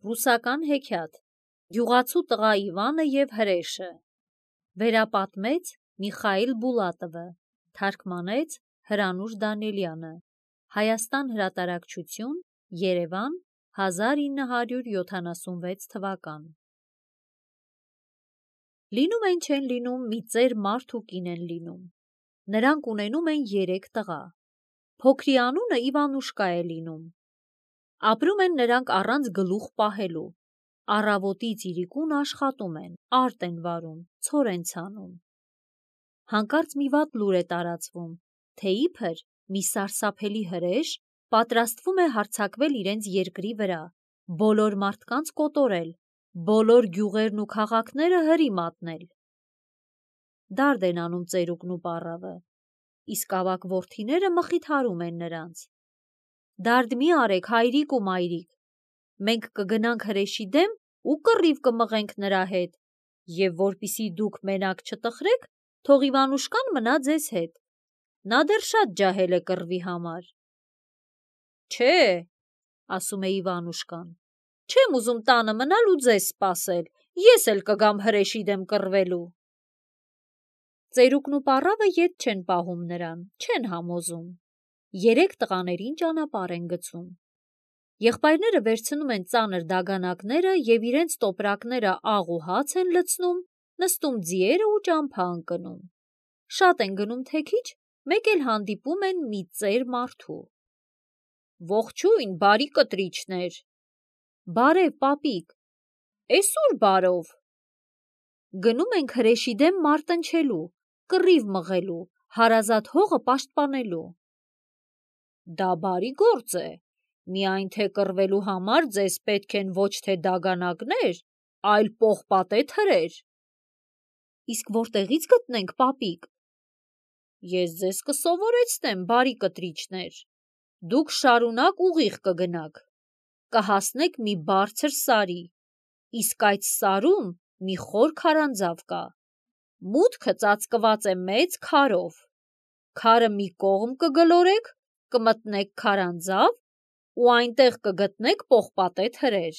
Ռուսական հեքիաթ Գյուղացու տղա Իվանը և հրեշը Վերապատմեց Միխայիլ Բուլատովը Թարգմանեց Հրանուշ Դանիելյանը Հայաստան հրատարակչություն Երևան 1976 թվական Լինում են չեն լինում մի ծեր մարդ ու կին են լինում Նրանք ունենում են 3 տղա Փոքրի անունը Իվանուշկա է լինում Ապրում են նրանք առանց գլուխ պահելու, առավոտից իրիկուն աշխատում են, արտ են վարում, ցոր են ցանում։ Հանկարծ մի վատ լուր է տարածվում, թե իբր մի սարսափելի հրեշ պատրաստվում է հարձակվել իրենց երկրի վրա, բոլոր մարդկանց կոտորել, բոլոր գյուղերն ու քաղաքները հրի մատնել։ Դարդ են անում ծերուկն ու պառավը, իսկ ավագ որդիները մխիթարում են նրանց։ Դարդ մի արեք հայրիկ ու մայրիկ, մենք կգնանք հրեշի դեմ ու կռիվ կմղենք նրա հետ, և որպիսի դուք մենակ չտխրեք, թող Իվանուշկան մնա ձեզ հետ, նա դեռ շատ ջահել է կռվի համար։ Չէ, ասում է Իվանուշկան, չեմ ուզում տանը մնալ ու ձեզ սպասել, ես էլ կգամ հրեշի դեմ կռվելու։ Ծերուկն ու պառավը ետ չեն պահում նրան, չեն համոզում։ 3 տղաներին ճանապարհ են գցում։ Եղբայրները վերցնում են ծանր դագանակները և իրենց տոպրակները աղ ու հաց են լցնում, նստում ձիերը ու ճամփա ընկնում։ Շատ են գնում թե քիչ, մեկ էլ հանդիպում են մի ծեր մարդու։ Ողջույն, բարի կտրիչներ։ Բարև, պապիկ։ Էս ուր բարով։ Գնում ենք հրեշի դեմ մարտնչելու, կռիվ մղելու, հարազատ հողը պաշտպանելու։ Դա բարի գործ է, միայն թե կռվելու համար ձեզ պետք են ոչ թե դագանակներ, այլ պողպատե թրեր։ Իսկ որտեղից գտնենք, պապիկ։ Ես ձեզ կսովորեցնեմ, բարի կտրիչներ։ Դուք շարունակ ուղիղ կգնաք, կհասնեք մի բարձր սարի, իսկ այդ սարում մի խոր քարանձավ կա։ Մուտքը ծածկված է մեծ քարով։ Քարը մի կողմ կգլորեք, կմտնեք քարանձավ ու այնտեղ կգտնեք պողպատե թրեր։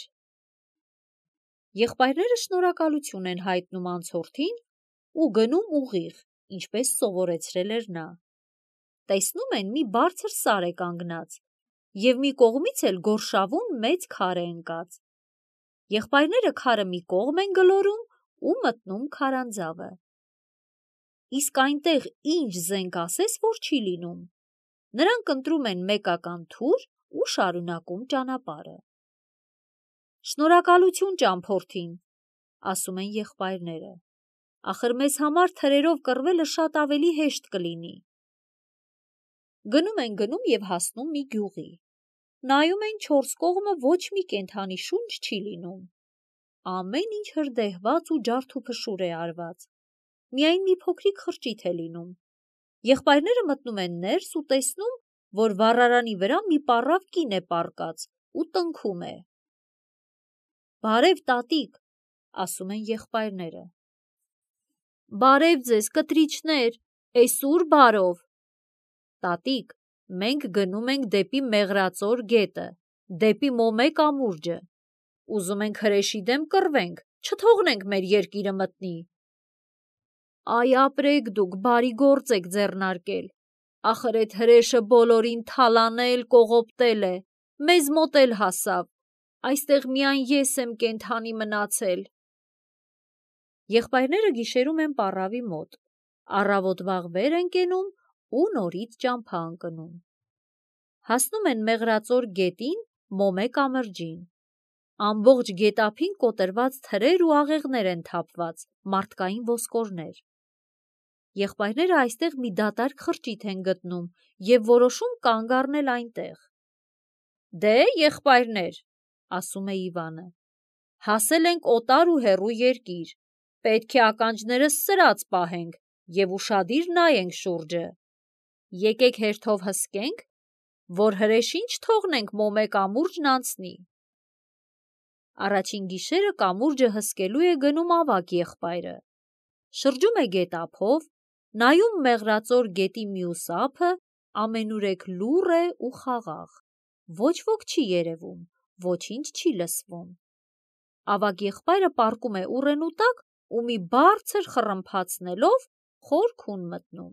Եղբայրները շնորհակալություն են հայտնում անցորդին ու գնում ուղիղ, ինչպես սովորեցրել էր նա։ Տեսնում են մի բարձր սար է կանգնած և մի կողմից էլ գորշավուն մեծ քար է ընկած։ Եղբայրները քարը մի կողմ են գլորում ու մտնում քարանձավը։ Իսկ այնտեղ ինչ զենք ասես, որ չի լինում։ Նրանք ընտրում են մեկական թուր ու շարունակում ճանապարհը։ Շնորհակալություն ճամփորդին, ասում են եղբայրները։ Ախր մեզ համար թրերով կռվելը շատ ավելի հեշտ կլինի։ Գնում և հասնում մի գյուղի։ Նայում են 4 կողմը ոչ մի կենդանի շունչ չի լինում։ Ամեն ինչ հրդեհված ու ջարդուփշուր է արված։ Միայն մի փոքրիկ խրճիթ է լինում։ Եղբայրները մտնում են ներս ու տեսնում, որ վառարանի վրա մի պառավ կին է պառկած ու տնքում է։ Բարև, տատիկ, ասում են եղբայրները։ Բարև ձեզ, կտրիչներ, էս ուր բարով։ Տատիկ, մենք գնում ենք դեպի Մեղրածոր գետը, դեպի Մոմե կամուրջը։ Ուզում ենք հրեշի դեմ կռվենք, չթողնենք մեր երկիրը մտնի։ Այ ապրեք դուք, բարի գործ եք ձեռնարկել։ Ախր էդ հրեշը բոլորին թալանել, կողոպտել է, մեզ մոտ էլ հասավ, այստեղ միայն ես եմ կենդանի մնացել։ Եղբայրները գիշերում են պառավի մոտ, առավոտ վաղ վեր են կենում ու նորից ճամփա ընկնում։ Հասնում են Մեղրածոր գետին, Մոմե կամրջին։ Ամբողջ գետափին կոտրված թրեր ու աղեղներ են թափված, մարդկային ոսկորներ։ Եղբայրները այստեղ մի դատարկ խրճիթ են գտնում և որոշում կանգ առնել այնտեղ։ Դե, եղբայրներ, ասում է Իվանը, հասել ենք օտար ու հեռու երկիր, պետք է ականջներս սրած պահենք և ուշադիր նայենք շուրջը։ Եկեք հերթով հսկենք, որ հրեշին չթողնենք Մոմե կամուրջն անցնի։ Առաջին գիշերը կամուրջը հսկելու է գնում ավագ եղբայրը։ Շրջում է գետափով, նայում Մեղրածոր գետի մյուս ափը, ամենուրեք լուռ է ու խաղաղ։ Ոչ ոք չի երևում, ոչինչ չի լսվում։ ավագ եղբայրը պառկում է ուռենու տակ ու մի բարձր խռմփացնելով խոր քուն մտնում։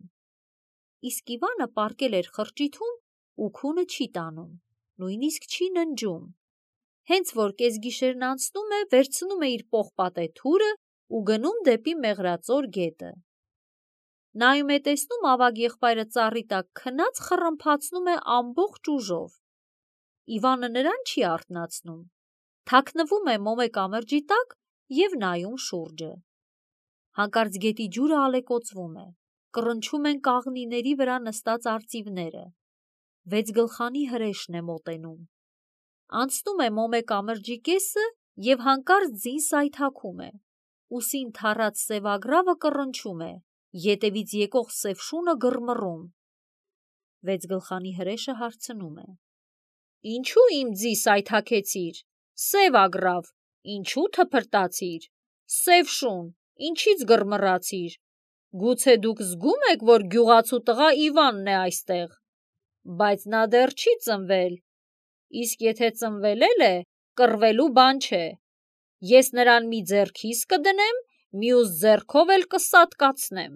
Իսկ Իվանը պառկել էր խրճիթում ու քունը չի տանում, նույնիսկ չի ննջում։ Հենց որ կեսգիշերն անցնում է, վերցնում է իր պողպատե թուրը ու գնում դեպի Մեղրածոր գետը։ Նայում է տեսնում ավագ եղբայրը ծառի տակ քնած խռմփացնում է ամբողջ ուժով։ Իվանը նրան չի արթնացնում, թաքնվում է մոմե կամրջի տակ և նայում շուրջը։ Հանկարծ գետի ջուրը ալեկոծվում է, կռնչում են կաղնիների վրա նստած արծիվները։ 6 գլխանի հրեշն է մոտենում։ Անցնում է մոմե կամրջի կեսը և հանկարծ ձին սայթաքում է, ուսին թառած սևագրավը կռնչում է, ետևից եկող սև շունը գրմռում։ 6 գլխանի հրեշը հարցնում է. «Ինչու իմ ձի սայթաքեցիր, սև ագրավ, ինչու թփրտացիր, սև շուն, ինչից գրմռացիր, գուցե դուք զգում եք, որ գյուղացու տղա Իվանն է այստեղ, բայց նա դեռ չի ծնվել, իսկ եթե ծնվել էլ է, կռվելու բան չէ, ես նրան մի ձեռքիս կդնեմ, մյուս ձեռքով էլ կսատկացնեմ»։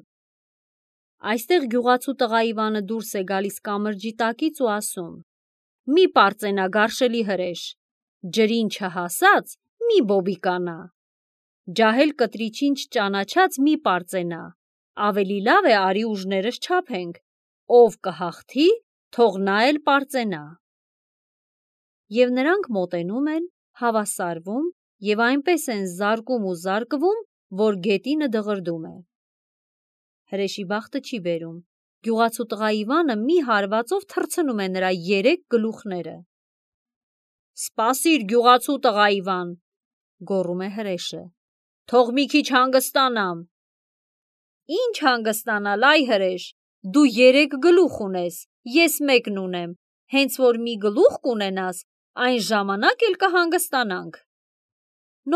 Այստեղ գյուղացու տղա Իվանը դուրս է գալիս կամրջի տակից ու ասում. «Մի պարծենա, գարշելի հրեշ, ջրին չհասած մի բոբիկանա, ջահել կտրիչին չճանաչած մի պարծենա, ավելի լավ է արի ուժներս չափենք, ով կհաղթի, թող նա էլ պարծենա»։ Եվ նրանք մոտենում են, հավասարվում և այնպես են զարկում ու զարկվում, որ գետինը դղրդում է։ Հրեշի բախտը չի բերում, գյուղացու տղա Իվանը մի հարվածով թռցնում է նրա 3 գլուխները։ «Սպասիր, գյուղացու տղա Իվան», գոռում է հրեշը, «թող մի քիչ հանգստանամ»։ «Ինչ հանգստանալ, այ հրեշ, դու 3 գլուխ ունես, ես 1 ունեմ, հենց որ մի գլուխ կունենաս, այն ժամանակ էլ կհանգստանանք»։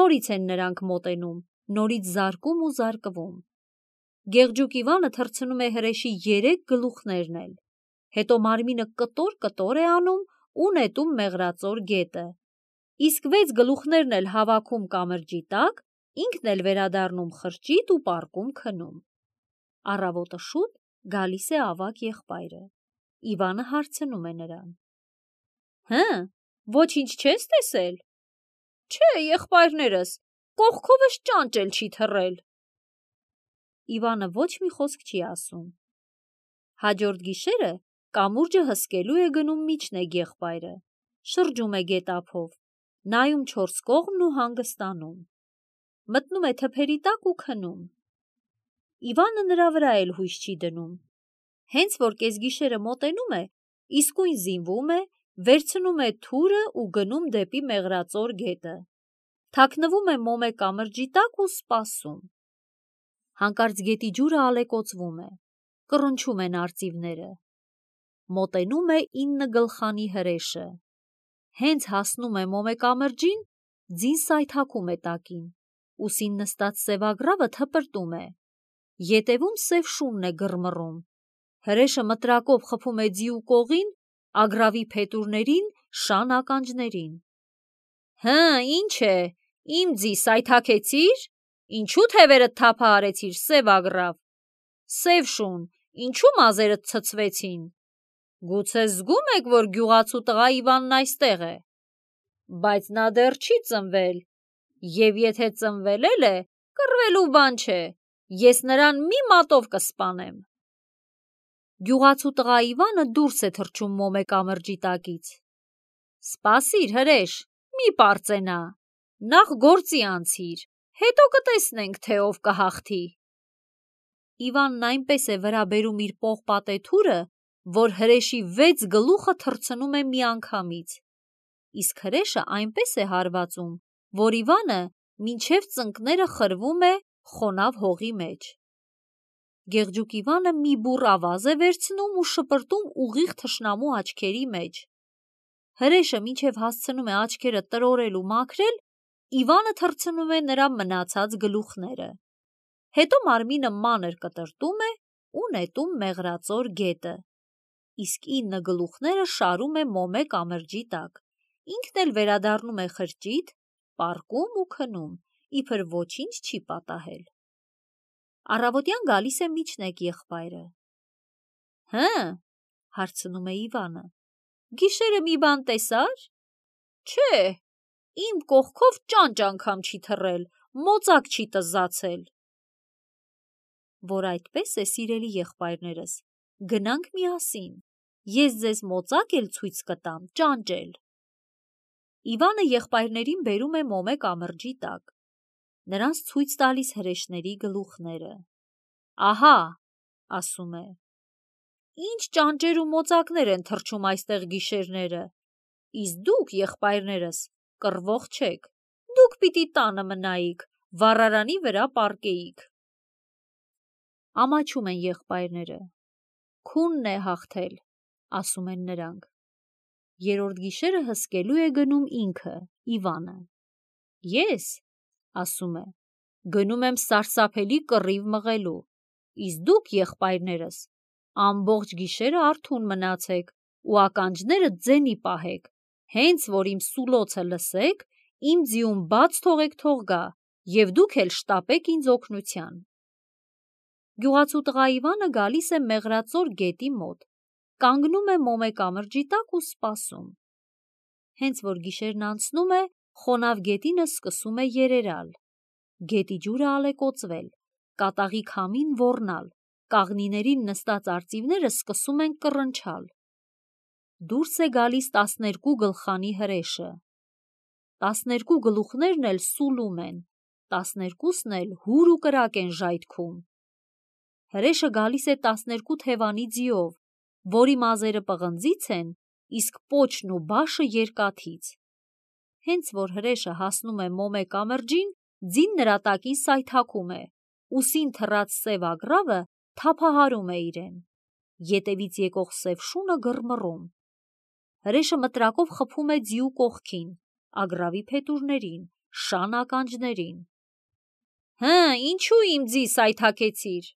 Նորից են նրանք մոտենում, նորից զարկում ու զարկվում։ Գեղջուկ Իվանը թռցնում է հրեշի 3 գլուխներն էլ, հետո մարմինը կտոր է անում ու նետում Մեղրածոր գետը, իսկ 6 գլուխներն էլ հավաքում կամրջի տակ, ինքն էլ վերադառնում խրճիթ ու պառկում քնում։ Առավոտը շուտ գալիս է ավագ եղբայրը։ Իվանը հարցնում է նրան. «Հը, ոչինչ չես տեսել»։ «Չէ, եղբայրներս, կողքովս ճանճ էլ չի թռել»։ Իվանը ոչ մի խոսք չի ասում։ Հաջորդ գիշերը կամուրջը հսկելու է գնում միջնեկ եղբայրը, շրջում է գետափով, նայում 4 կողմն ու հանգստանում։ Մտնում է թփերի տակ ու քնում։ Իվանը նրա վրա էլ հույս չի դնում։ Հենց որ կեսգիշերը մոտենում է, իսկույն զինվում է, վերցնում է թուրը ու գնում դեպի Մեղրածոր գետը։ Թաքնվում է մոմե կամրջի տակ ու սպասում։ Հանկարծ գետի ջուրը ալեկոծվում է, կռնչում են արծիվները։ Մոտենում է 9 գլխանի հրեշը։ Հենց հասնում է մոմե կամրջին, ձին սայթաքում է տակին, ուսին նստած սևագրավը թպրտում է, ետևում սև շունն է գրմռում։ Հրեշը մտրակով խփում է ձիու կողին, ագրավի փետուրներին, շան ականջներին։ «Հը, ինչ է, իմ ձի սայթաքեցիր, ինչու թևերդ թափը արեցիր, սև ագրավ, սև շուն, ինչու մազերդ ցցվեցին, գուցե զգում եք, որ գյուղացու տղա Իվանն այստեղ է, բայց նա դեռ չի ծնվել, և եթե ծնվել էլ է, կռվելու բան չէ, ես նրան մի մատով կսպանեմ»։ Գյուղացու տղա Իվանը դուրս է թռչում մոմե կամրջի տակից։ «Սպասիր, հրեշ, մի պարծենա, նախ գործի անցիր, հետո կտեսնենք, թե ով կհաղթի»։ Իվանն այնպես է վրա բերում իր պողպատե թուրը, որ հրեշի 6 գլուխը թռցնում է միանգամից, իսկ հրեշը այնպես է հարվածում, որ Իվանը մինչև ծնկները խրվում է խոնավ հողի մեջ։ Գեղջուկ Իվանը մի բուռ ավազ է վերցնում ու շպրտում ուղիղ թշնամու աչքերի մեջ։ Հրեշը մինչև հասցնում է աչքերը տրորել ու մաքրել, Իվանը թռցնում է նրա մնացած գլուխները։ Հետո մարմինը մանր կտրտում է ու նետում Մեղրածոր գետը, իսկ 9 գլուխները շարում է մոմե կամրջի տակ, ինքն էլ վերադառնում է խրճիթ, պառկում ու քնում, իբր ոչինչ չի պատահել։ Առավոտյան գալիս է Միչնեկ եղբայրը։ Հը, հարցնում է Իվանը, գիշերը մի բան տեսար։ Չէ, իմ կողքով ճանճ անգամ չի թռել, մոծակ չի տզացել։ Որ այդպես է, սիրելի եղբայրներս, գնանք միասին, ես ձեզ մոծակ էլ ցույց կտամ, ճանճ էլ։ Իվանը եղբայրներին բերում է մոմե կամրջի տակ, նրանց ցույց տալիս հրեշների գլուխները։ Ահա, ասում է, ինչ ճանճեր ու մոծակներ են թռչում այստեղ գիշերները, իսկ դուք, եղբայրներս, կռվող չեք, դուք պիտի տանը մնայիք, վառարանի վրա պառկեիք։ Ամաչում են եղբայրները։ Քունն է հաղթել, ասում են նրանք։ Երրորդ գիշերը հսկելու է գնում ինքը, Իվանը։ Ես, ասում է, գնում եմ սարսափելի կռիվ մղելու, իսկ դուք, եղբայրներս, ամբողջ գիշերը արթուն մնացեք ու ականջները ձենի պահեք, հենց որ իմ սուլոցը լսեք, իմ ձիուն բաց թողեք թող գա, և դուք էլ շտապեք ինձ օգնության։ Գյուղացու տղա Իվանը գալիս է Մեղրածոր գետի մոտ, կանգնում է մոմե կամրջի տակ ու սպասում։ Հենց որ գիշերն անցնում է, խոնավ գետինը սկսում է երերալ, գետի ջուրը ալեկոծվել, կատաղի քամին ոռնալ, կաղնիներին նստած արծիվները սկսում են կռնչալ։ Դուրս է գալիս 12 գլխանի հրեշը։ 12 գլուխներն էլ սուլում են, 12-ն էլ հուր ու կրակ են ժայթքում։ Հրեշը գալիս է 12 թևանի ձիով, որի մազերը պղնձից են, իսկ պոչն ու բաշը երկաթից։ Հենց որ հրեշը հասնում է մոմե կամրջին, ձին նրա տակին սայթաքում է, ուսին թռած սև ագռավը թափահարում է իրեն, ետևից եկող սև շունը գռմռում։ Հրեշը մտրակով խփում է ձիու կողքին, ագռավի փետուրներին, շան ականջներին։ Հը, ինչու իմ ձի սայթաքեցիր։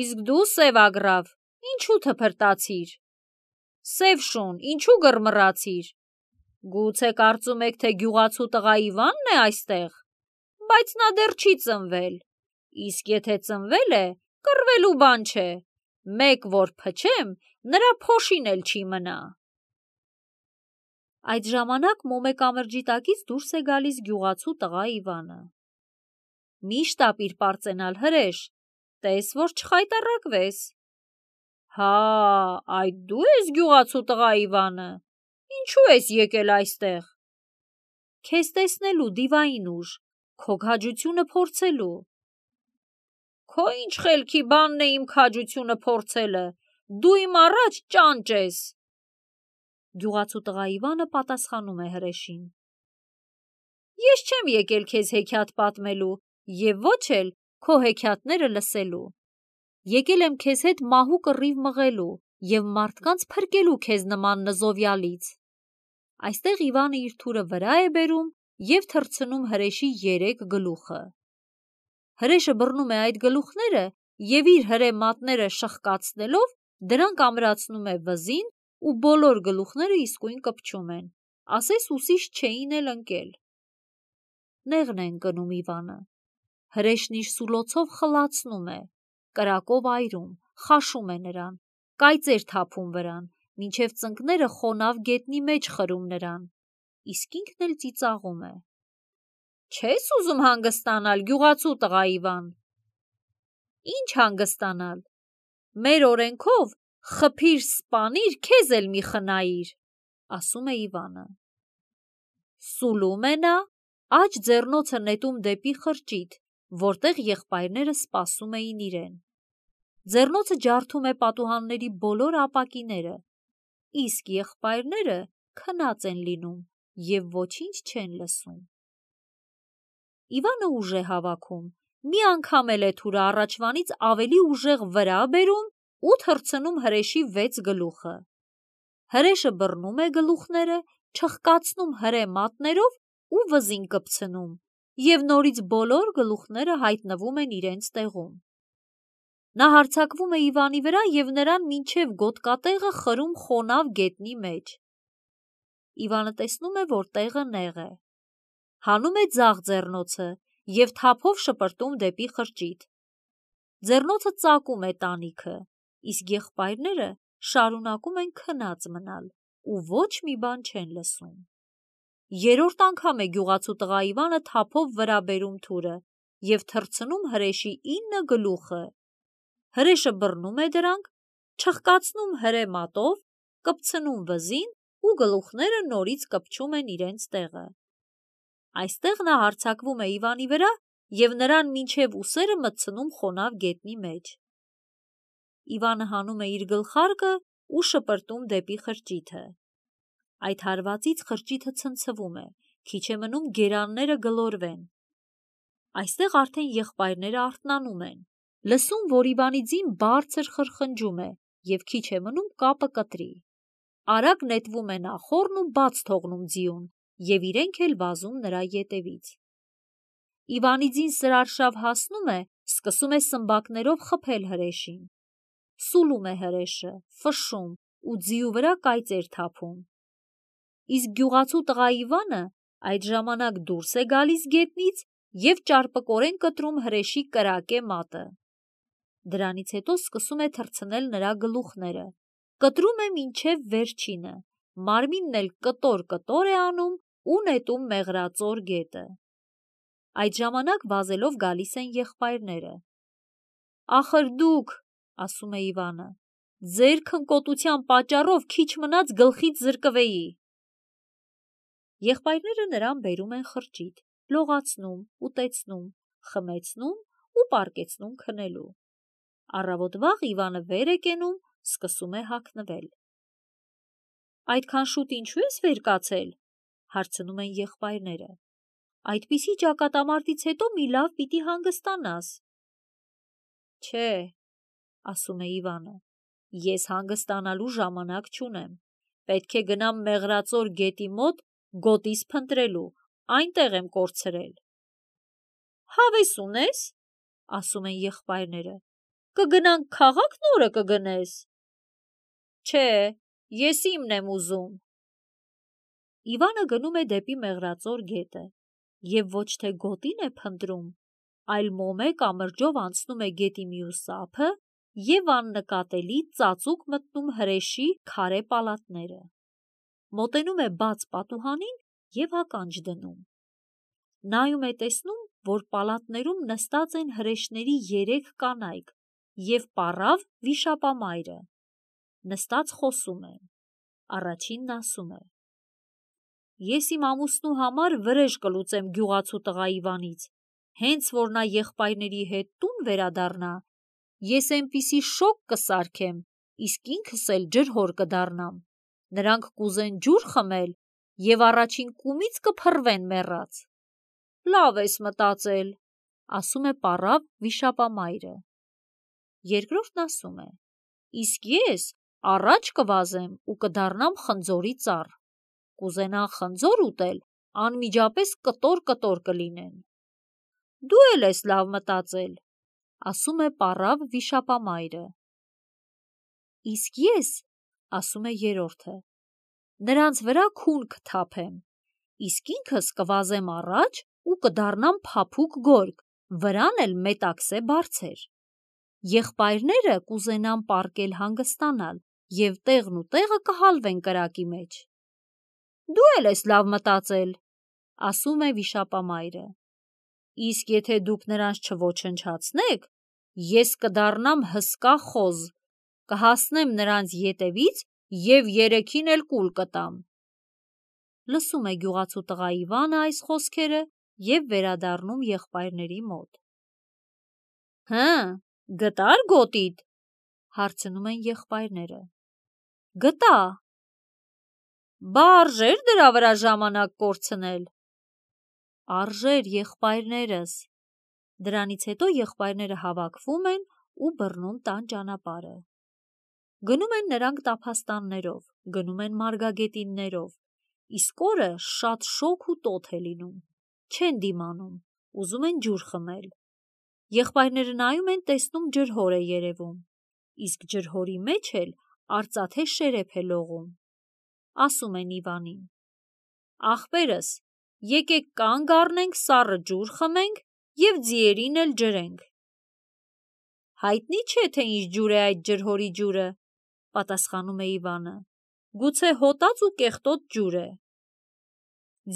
Իսկ դու, սև ագռավ, ինչու թփրտացիր։ Սև շուն, ինչու գռմռացիր։ Գուցե կարծում եք, թե գյուղացու տղա Իվանն է այստեղ, բայց նա դեռ չի ծնվել, իսկ եթե ծնվել է, կռվելու բան չէ, մեկ որ փչեմ, նրա փոշին էլ չի մնա։ Այդ ժամանակ մոմե կամրջի տակից դուրս է գալիս գյուղացու տղա Իվանը։ Մի շտապիր պարծենալ, հրեշ, տես որ չխայտառակվես։ Հա, այդ դու ես գյուղացու տղա Իվանը, ինչու ես եկել այստեղ։ Քեզ տեսնելու, դիվային ուժ, քո քաջությունը փորձելու։ Քո ինչ խելքի բանն է իմ քաջությունը փորձելը, դու իմ առաջ ճանճ ես։ Գյուղացու տղա Իվանը պատասխանում է հրեշին. Ես չեմ եկել քեզ հեքիաթ պատմելու և ոչ էլ քո հեքիաթները լսելու։ Եկել եմ քեզ հետ մահու կռիվ մղելու և մարդկանց փրկելու քեզ նման նզովյալից։ Այստեղ Իվանը իր թուրը վրա է բերում և թռցնում հրեշի 3 գլուխը։ Հրեշը բռնում է այդ գլուխները և իր հրե մատները շխկացնելով դրանք ամրացնում է վզին ու բոլոր գլուխները իսկույն կպչում են, ասես ուսիշ չէին էլ ընկել։ Նեղն է ընկնում Իվանը։ Հրեշն իր սուլոցով խլացնում է, կրակով այրում, խաշում է նրան, կայծեր թափում վրան, մինչև ծնկները խոնավ գետնի մեջ խրում նրան, իսկ ինքն էլ ծիծաղում է։ Չես ուզում հանգստանալ, գյուղացու տղա Իվան։ Ինչ հանգստանալ։ Մեր օրենքով խփիր, սպանիր, քեզ էլ մի խնայիր, ասում է Իվանը։ Սուլում է նա, աջ ձեռնոցը նետում դեպի խրճիթ, որտեղ եղբայրները սպասում էին իրեն։ Ձեռնոցը ջարդում է պատուհանների բոլոր ապակիները, իսկ եղբայրները քնած են լինում և ոչինչ չեն լսում։ Իվանը ուժ է հավաքում, մի անգամ էլ է թուրը առաջվանից ավելի ուժեղ վրա բերում ու թռցնում հրեշի 6 գլուխը։ Հրեշը բռնում է գլուխները, չխկացնում հրե մատներով ու վզին կպցնում, և նորից բոլոր գլուխները հայտնվում են իրենց տեղում։ Նա հարձակվում է Իվանի վրա և նրան մինչև գոտկատեղը խրում խոնավ գետնի մեջ։ Իվանը տեսնում է, որ տեղը նեղ է։ հանում է ձախ ձեռնոցը և թափով շպրտում դեպի խրճիթ։ Ձեռնոցը ծակում է տանիքը, իսկ եղբայրները շարունակում են քնած մնալ ու ոչ մի բան չեն լսում։ Երրորդ անգամ է գյուղացու տղա Իվանը թափով վրա բերում թուրը և թռցնում հրեշի 9 գլուխը։ Հրեշը բռնում է դրանք, չխկացնում հրե մատով, կպցնում վզին ու գլուխները նորից կպչում են իրենց տեղը։ Այստեղ նա հարձակվում է Իվանի վրա և նրան մինչև ուսերը մտցնում խոնավ գետնի մեջ։ Իվանը հանում է իր գլխարկը ու շպրտում դեպի խրճիթը։ Այդ հարվածից խրճիթը ցնցվում է, քիչ է մնում գերանները գլորվեն։ Այստեղ արդեն եղբայրները արթնանում են, լսում, որ Իվանի ձին բարձր խրխնջում է և քիչ է մնում կապը կտրի։ Արագ նետվում է նախորն ու բաց թողնում ձիուն և իրենք էլ վազում նրա ետևից։ Իվանի ձին սրարշավ հասնում է, սկսում է սմբակներով խփել հրեշին։ Սուլում է հրեշը, ֆշշում ու ձիու վրա կայծեր թափում։ Իսկ գյուղացու տղա Իվանը այդ ժամանակ դուրս է գալիս գետնից և ճարպկորեն կտրում հրեշի կրակե մատը։ Դրանից հետո սկսում է թռցնել նրա գլուխները, կտրում է մինչև վերջինը, մարմինն էլ կտոր-կտոր է անում ու նետում մեղրածոր գետը։ Այդ ժամանակ վազելով գալիս են եղբայրները։ «Ախր դուք, — ասում է Իվանը, — ձեր քնկոտության պատճառով քիչ մնաց գլխից զրկվեի»։ Եղբայրները նրան բերում են խրճիթ, լողացնում, ուտեցնում, խմեցնում ու պառկեցնում քնելու։ Առավոտ վաղ Իվանը վեր է կենում, սկսում է հագնվել։ «Այդքան շուտ ինչու ես վեր կացել?» — հարցնում են եղբայրները։ «Այդպիսի ճակատամարտից հետո մի լավ պիտի հանգստանաս»։ «Չէ, — ասում է Իվանը, — ես հանգստանալու ժամանակ չունեմ, պետք է գնամ մեղրածոր գետի մոտ գոտիս փնտրելու, այնտեղ եմ կորցրել»։ «Հավես ունես?» — ասում են եղբայրները, «կգնանք քաղաք նորը կգնես»։ «Չէ, ես իմն եմ ուզում»։ Իվանը գնում է դեպի մեղրածոր գետը և ոչ թե գոտին է փնտրում, այլ մոմե կամրջով անցնում է գետի մյուս ափը և աննկատելի ծածուկ մտնում հրեշի քարե պալատները։ Մոտենում է բաց պատուհանին և ականջ դնում։ Նայում է, տեսնում, որ պալատներում նստած են հրեշների 3 կանայք և պառավ վիշապամայրը։ Նստած խոսում են։ Առաջինն ասում է. «Ես իմ ամուսնու համար վրեժ կլուծեմ գյուղացու տղա Իվանից, հենց որ նա եղբայրների հետ տուն վերադառնա, ես էնպիսի շոգ կսարքեմ, իսկ ինքս էլ ջրհոր կդառնամ, նրանք կուզեն ջուր խմել և առաջին կումից կփռվեն մեռած»։ «Լավ ես մտածել», — ասում է պառավ վիշապամայրը։ Երկրորդն ասում է. «Իսկ ես առաջ կվազեմ ու կդառնամ խնձորի ծառ, կուզենան խնձոր ուտել, անմիջապես կտոր-կտոր կլինեն»։ «Դու էլ ես լավ մտածել», — ասում է պառավ վիշապամայրը։ «Իսկ ես, — ասում է երրորդը, — նրանց վրա քուն կթափեմ, իսկ ինքս կվազեմ առաջ ու կդառնամ փափուկ գորգ, վրան էլ մետաքսե բարձր։ Եղբայրները կուզենան պառկել հանգստանալ և տեղն ու տեղը կհալվեն կրակի մեջ»։ «Դու էլ ես լավ մտածել», — ասում է վիշապամայրը։ «Իսկ եթե դուք նրանց չոչնչացնեք, ես կդառնամ հսկա խոզ, կհասնեմ նրանց ետևից և երեքին էլ կուլ կտամ»։ Լսում է գյուղացու տղա Իվանը այս խոսքերը և վերադառնում եղբայրների մոտ։ «Հը, գտա՞ր գոտիդ?» — հարցնում են եղբայրները։ «Գտա»։ «Բա արժե՞ր դրա վրա ժամանակ կորցնել»։ «Արժեր, եղբայրներս»։ Դրանից հետո եղբայրները հավաքվում են ու բռնում տան ճանապարհը։ Գնում են նրանք տափաստաններով, գնում են մարգագետիններով, իսկ օրը շատ շոգ ու տոթ է լինում, չեն դիմանում, ուզում են ջուր խմել։ Եղբայրները նայում են, տեսնում ջրհոր է երևում, իսկ ջրհորի մեջ էլ արծաթե շերեփ է լողում։ Ասում են Իվանին. «Ախպերս, եկեք կանգ առնենք, սառը ջուր խմենք և ձիերին էլ ջրենք։ Հայտնի չէ, թե ինչ ջուր է այդ ջրհորի ջուրը, պատասխանում է Իվանը։ Գուցե հոտած ու կեղտոտ ջուր է։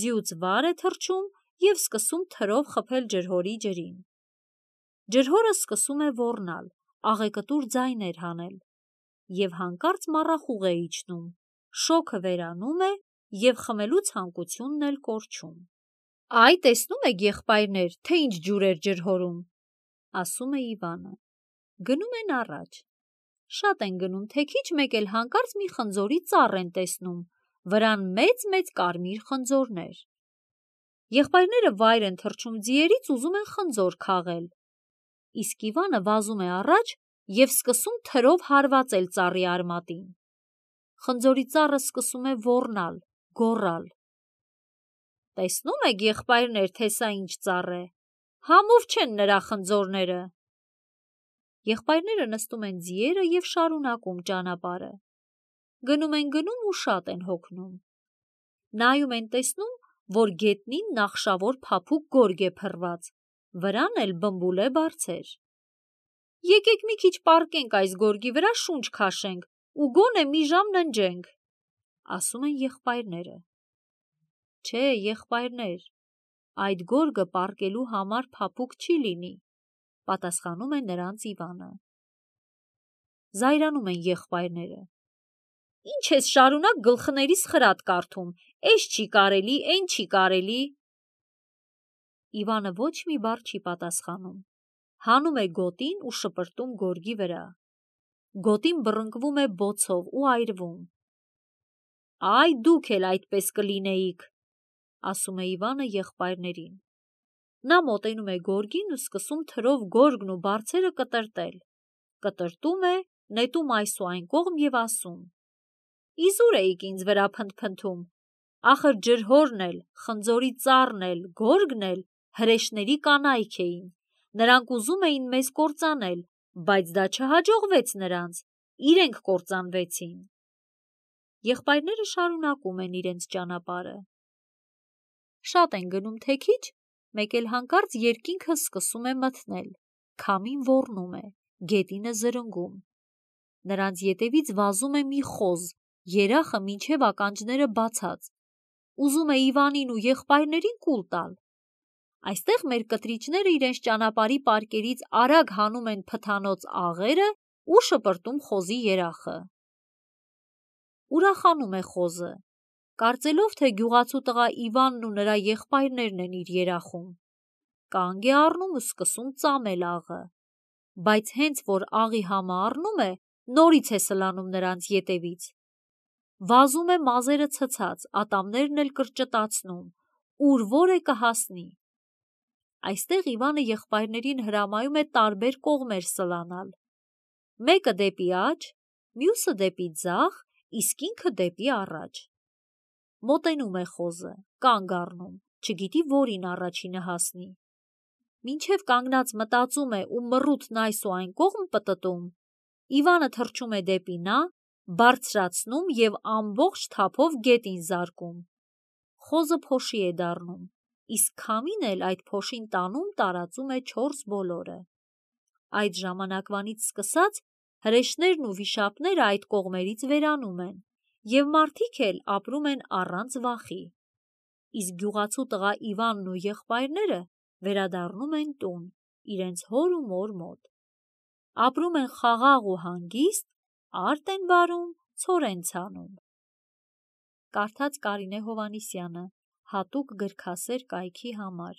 Ձիուց վար է թռչում և սկսում թրով խփել ջրհորի ջրին։ Ջրհորը սկսում է ոռնալ, աղեկտուր ձայներ հանել, և հանկարծ մառախուղ է իջնում, շոգը վերանում է և խմելու ցանկությունն էլ կորչում։ Այ տեսնում եք, եղբայրներ, թե ինչ ջուր էր ջրհորում, ասում է Իվանը։ Գնում են առաջ։ Շատ են գնում, թե քիչ մեկ էլ հանկարծ մի խնձորի ծառ են տեսնում, վրան մեծ կարմիր խնձորներ։ Եղբայրները վայր են թռչում ձիերից, ուզում են խնձոր քաղել, իսկ Իվանը վազում է առաջ և սկսում թրով հարվածել ծառի արմատին։ Խնձորի ծառը սկսում է ոռնալ, գոռալ։ Տեսնում եք, եղբայրներ, թե սա ինչ ծառ է, համով չեն նրա խնձորները։ Եղբայրները նստում են ձիերը և շարունակում ճանապարհը։ Գնում ու շատ են հոգնում։ Նայում են, տեսնում, որ գետնին նախշավոր փափուկ գորգ է փռված, վրան էլ բմբուլե բարձր։ Եկեք մի քիչ պառկենք այս գորգի վրա, շունչ քաշենք ու գոնե մի ժամ ննջենք, ասում են եղբայրները։ Չէ, եղբայրներ, այդ գորգը պառկելու համար փափուկ չի լինի, պատասխանում է նրանց Իվանը։ Զայրանում են եղբայրները։ Ինչ ես շարունակ գլխներիս խրատ կարդում, էս չի կարելի, էն չի կարելի։ Իվանը ոչ մի բառ չի պատասխանում, հանում է գոտին ու շպրտում գորգի վրա։ Գոտին բռնկվում է բոցով ու այրվում։ Այ դուք էլ այդպես կլինեիք, ասում է Իվանը եղբայրներին։ Նա մոտենում է գորգին ու սկսում թրով գորգն ու բարձերը կտրտել։ Կտրտում է, նետում այս ու այն կողմ և ասում. Իզուր էիք ինձ վրա փնթփնթում, ախր ջրհորն էլ, խնձորի ծառն էլ, գորգն էլ հրեշների կանայք էին, նրանք ուզում էին մեզ կործանել, բայց դա չհաջողվեց նրանց, իրենք կործանվեցին։ Եղբայրները շարունակում են իրենց ճանապարհը։ Շատ են գնում, թե քիչ, մեկ էլ հանկարծ երկինքը սկսում է մթնել, քամին ոռնում է, գետինը զրնգում։ Նրանց ետևից վազում է մի խոզ, երախը մինչև ականջները բացած, ուզում է Իվանին ու եղբայրներին կուլ տալ։ Այստեղ մեր կտրիչները իրենց ճանապարհի պարկերից արագ հանում են փթանոց աղերը ու շպրտում խոզի երախը։ Ուրախանում է խոզը, կարծելով, թե գյուղացու տղա Իվանն ու նրա եղբայրներն են իր երախում։ Կանգ է առնում ու սկսում ծամել աղը, բայց հենց որ աղի համը առնում է, նորից է սլանում նրանց ետևից։ Վազում է մազերը ցցած, ատամներն էլ կրճտացնում, ուր որ է կհասնի։ Այստեղ Իվանը եղբայրներին հրամայում է տարբեր կողմեր սլանալ։ Մեկը դեպի աջ, մյուսը դեպի ձախ, իսկ ինքը դեպի առաջ։ Մոտենում է խոզը, կանգ առնում, չգիտի որին առաջինը հասնի։ Մինչև կանգնած մտածում է ու մռութն այս ու այն կողմ պտտում, Իվանը թռչում է դեպի նա, բարձրացնում և ամբողջ թափով գետին զարկում։ Խոզը փոշի է դառնում, իսկ քամին էլ այդ փոշին տանում տարածում է 4 բոլորը։ Այդ ժամանակվանից սկսած հրեշներն ու վիշապները այդ կողմերից վերանում են, և մարդիկ էլ ապրում են առանց վախի։ Իսկ գյուղացու տղա Իվանն ու եղբայրները վերադառնում են տուն, իրենց հոր ու մոր մոտ։ Ապրում են խաղաղ ու հանգիստ, արտ են վարում, ցոր են ցանում։ Կարդաց Կարինե Հովհաննիսյանը, հատուկ գրքասեր կայքի համար։